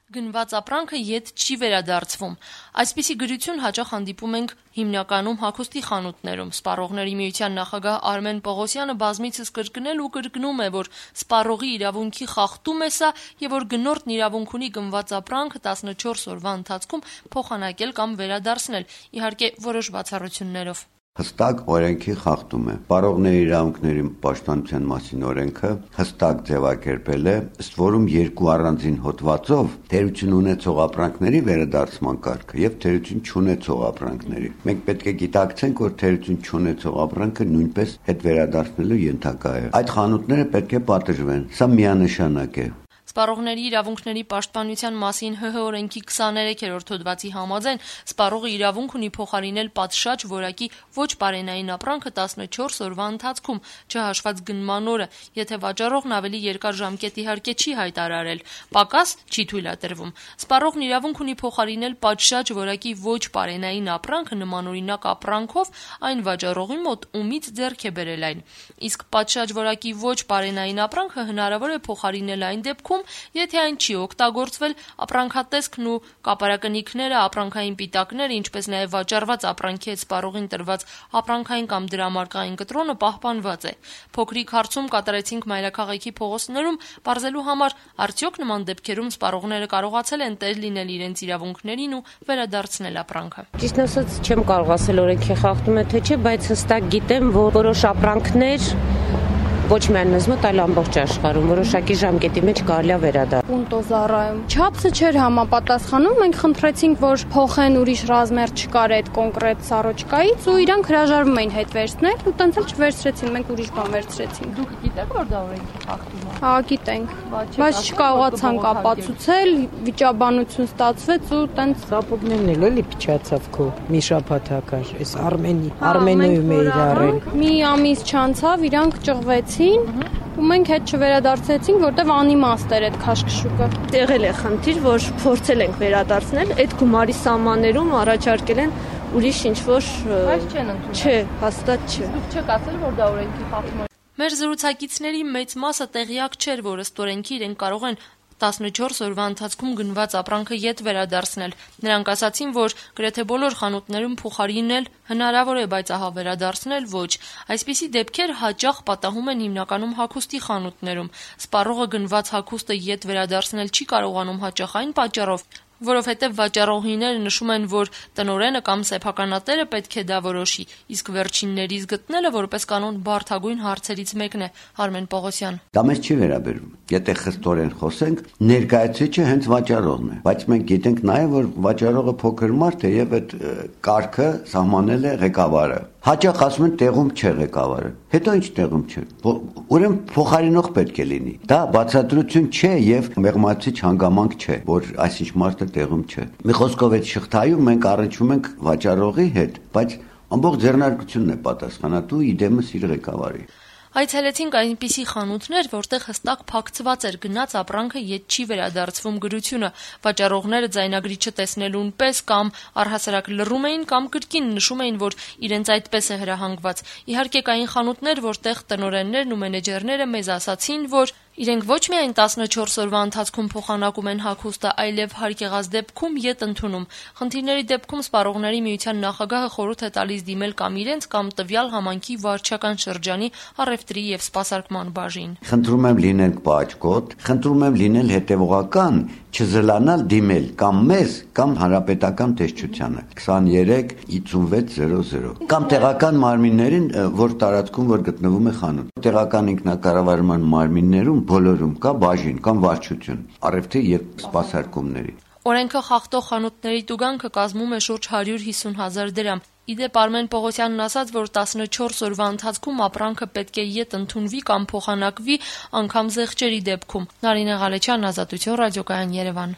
Գնված ապրանքը ետ չի վերադարձվում։ Այսպիսի գրություն հաճախ հանդիպում ենք հիմնականում հագուստի խանութներում։ Սպառողների միության նախագահ Արմեն Պողոսյանը բազմիցս կրկնել ու կրկնում է, որ սպառողի իրավունքի խախտում է սա եւ որ գնորդն իրավունք ունի գնված ապրանքը 14 օրվա ընթացքում փոխանակել կամ վերադարձնել, իհարկե որոշ բացառություններով։ Հստակ օրենքի խախտում է։ Սպառողների իրավունքների պաշտպանության մասին օրենքը հստակ ձևակերպել է, ըստ որում երկու առանձին հոդվածով թերություն ունեցող ապրանքների վերադարձման կարգը եւ թերություն չունեցող ապրանքների։ Մենք պետք է գիտակցենք, որ թերություն չունեցող ապրանքը նույնպես հետ վերադարձնելու ենթակա է։ Այդ խանութները պետք է պատժվեն։ Սա միանշանակ է։ Սպառողների իրավունքների պաշտպանության մասին ՀՀ օրենքի 23-րդ հոդվածի համաձայն սպառողը իրավունք ունի փոխարինել պատշաճ որակի ոչ բարենային ապրանքը 14 օրվա ընթացքում, չհաշված գնման օրը, եթե վաճառողն ավելի երկար ժամկետ իհարկե չի հայտարարել, պակաս չի թույլատրվում։ Սպառողն իրավունք ունի փոխարինել պատշաճ որակի ոչ բարենային ապրանքը նմանօրինակ ապրանքով այն վաճառողի մոտ, ումից ձեռք է բերել այն։ Իսկ պատշաճ որակի ոչ բարենային ապրանքը հնարավոր է փոխարինել այն դեպքում, եթե այն չի օգտագործվել, ապրանքատեսքն ու կապարակնիքները, ապրանքային պիտակները, ինչպես նաև վաճառված ապրանքի հետ սպառողին տրված ապրանքային կամ դրամարկղային կտրոնը պահպանված է։ Փոքրիկ հարցում կատարեցինք մայրաքաղաքի փողոցներում պարզելու համար, արդյոք նման դեպքերում սպառողները կարողացել են տեր լինել իրենց իրավունքներին ու վերադարձնել ապրանքը։ Ճիշտ ասած, չեմ կարող ասել օրենքի խախտում է թե չէ, բայց հստակ գիտեմ, որ որոշ ապրանքներ ոչ միայն մեզ մոտ, այլ ամբողջ աշխարհում որոշակի ժամկետի մեջ կարելի է վերադառնալ։ Պունտոզարայում չափսը չէր համապատասխանում, մենք խնդրեցինք, որ փոխեն ուրիշ ռազմեր չկար այդ կոնկրետ սառոճկայից ու իրանք հրաժարվում էին հետ վերցնել ու տենց էլ չվերցրեցին, մենք ուրիշ բան վերցրեցինք։ Դուք գիտեք, որ դա օրենքի խախտում է։ Հա, գիտենք, բայց չկարողացանք ապացուցել, վիճաբանություն ստացվեց ու տենց Սապոգներն էլ էլի փչացավ քո մի շաբաթ հակար, այս Արմենիում է իրարել։ Մի ամիս չանցավ, իրանք ճղվեցին ու մենք հետ չվերադարձեցինք, որտեվ անիմաստ էր այդ քաշքշուկը։ Եղել է խնդիր, որ փորձել ենք վերադարձնել, այդ գումարի սահմաններում առաջարկել են ուրիշ ինչ-որ Բայց չեն ընդունել։ Չէ, հաստատ չէ։ Դուք չեք ասել, որ դա օրենքի խախտում է։ Մեր զրուցակիցների մեծ մասը տեղյակ չէր, որ ըստ օրենքի իրենք կարող են 14 օրվա ընթացքում գնված ապրանքը ետ վերադարձնել։ Նրանք ասացին, որ գրեթե բոլոր խանութներում փոխարինել հնարավոր է, բայց ահա վերադարձնել ոչ։ Այսպիսի դեպքեր հաճախ պատահում են հիմնականում հագուստի խանութներում։ Սպառողը գնված հագուստը ետ վերադարձնել չի կարողանում հաճախ այն պատճառով, որովհետև վաճառողիները նշում են, որ տնօրենը կամ սեփականատերը պետք է դա որոշի, իսկ վերջիններից գտնելը որպես կանոն բարդագույն հարցերից մեկն է։ Արմեն Պողոսյան։ Դա մեզ չի վերաբերում։ Եթե խստորեն խոսենք, ներկայացուցիչը հենց վաճառողն է, բայց մենք գիտենք նաև, որ վաճառողը փոքր մարդ է եւ այդ կարգը սահմանել է ղեկավարը։ Հաճախ ասում են տեղում չէ ղեկավարը։ Հետո ինչ տեղում չէ։ Ուրեմն փոխարինող պետք է լինի։ Դա բացատրություն չէ եւ մեղմացիչ հանգամանք չէ, որ այսինչ մարդը տեղում չէ։ Մի խոսքով այդ շղթայում մենք առնչվում ենք վաճառողի հետ, բայց ամբողջ ձեռնարկությունն է պատասխանատու իդեմս իր ղեկավարի։ Այցելեցինք այնպիսի խանութներ, որտեղ հստակ փակցված էր գնաց ապրանքը ետ չի վերադարձվում գրությունը։ Վաճառողները ձայնագրիչը տեսնելուն պես կամ առհասարակ լռում էին կամ կրկին նշում էին, որ իրենց այդպես է հրահանգված։ Իհարկե կային խանութներ, որտեղ տնօրեններն ու մենեջերները մեզ ասացին, որ իրենք ոչ միայն 14 օրվա ընթացքում փոխանակում են հագուստը, այլև հարկ եղած դեպքում ետ ընդունում։ Խնդիրների դեպքում սպառողների միության նախագահը խորհուրդ է տալիս դիմել կամ իրենց կամ տվյալ համայնքի վարչական շրջանի առևտրի եւ սպասարկման բաժին։ Խնդրում եմ լինել պաճկոտ, խնդրում եմ լինել հետևողական, չզլանալ դիմել կամ մեզ կամ հանրապետական տեսչությանը 235600 կամ տեղական մարմիններին, որ տարածքում որ գտնվում է խանութ։ Տեղական ինքնակառավարման մարմիններում բոլորում կա բաժին կամ վարչություն, առևտրի եւ սպասարկումների։ Օրենքը խախտող խանութների տուգանքը կազմում է շուրջ 150,000 դրամ։ Իդեպ Արմեն Պողոսյանն ասաց, որ 14 օրվա ընթացքում ապրանքը պետք է ետ ընդունվի կամ փոխանակվի անգամ զեղչերի դեպքում։ Նարինե Ղալեչյան, Ազատություն ռադիոկայան, Երևան։